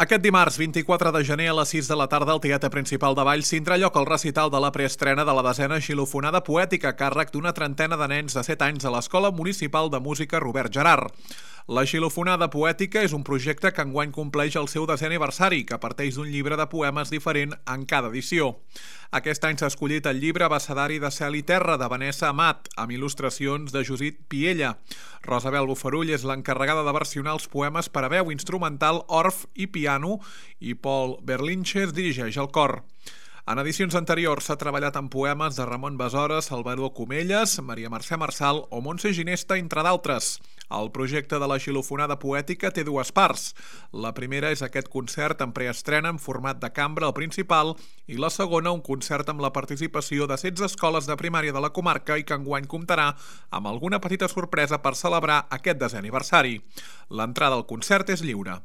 Aquest dimarts, 24 de gener, a les 6 de la tarda, al Teatre Principal de Valls tindrà lloc el recital de la preestrena de la 10a Xilofonada Poètica a càrrec d'una trentena de nens de 7 anys a l'Escola Municipal de Música Robert Gerard. La Xilofonada Poètica és un projecte que enguany compleix el seu 10è aniversari, que parteix d'un llibre de poemes diferent en cada edició. Aquest any s'ha escollit el llibre Abecedari de Cel i Terra, de Vanessa Amat, amb il·lustracions de Judit Piella. Rosabel Bofarull és l'encarregada de versionar els poemes per a veu instrumental, orf i piano, i Paul Berlinches dirigeix el cor. En edicions anteriors s'ha treballat en poemes de Ramon Besora, Salvador Comelles, Maria Mercè Marçal o Montse Ginesta, entre d'altres. El projecte de la Xilofonada Poètica té dues parts. La primera és aquest concert en preestrena en format de cambra al Principal i la segona un concert amb la participació de 16 escoles de primària de la comarca i que enguany comptarà amb alguna petita sorpresa per celebrar aquest 10è aniversari. L'entrada al concert és lliure.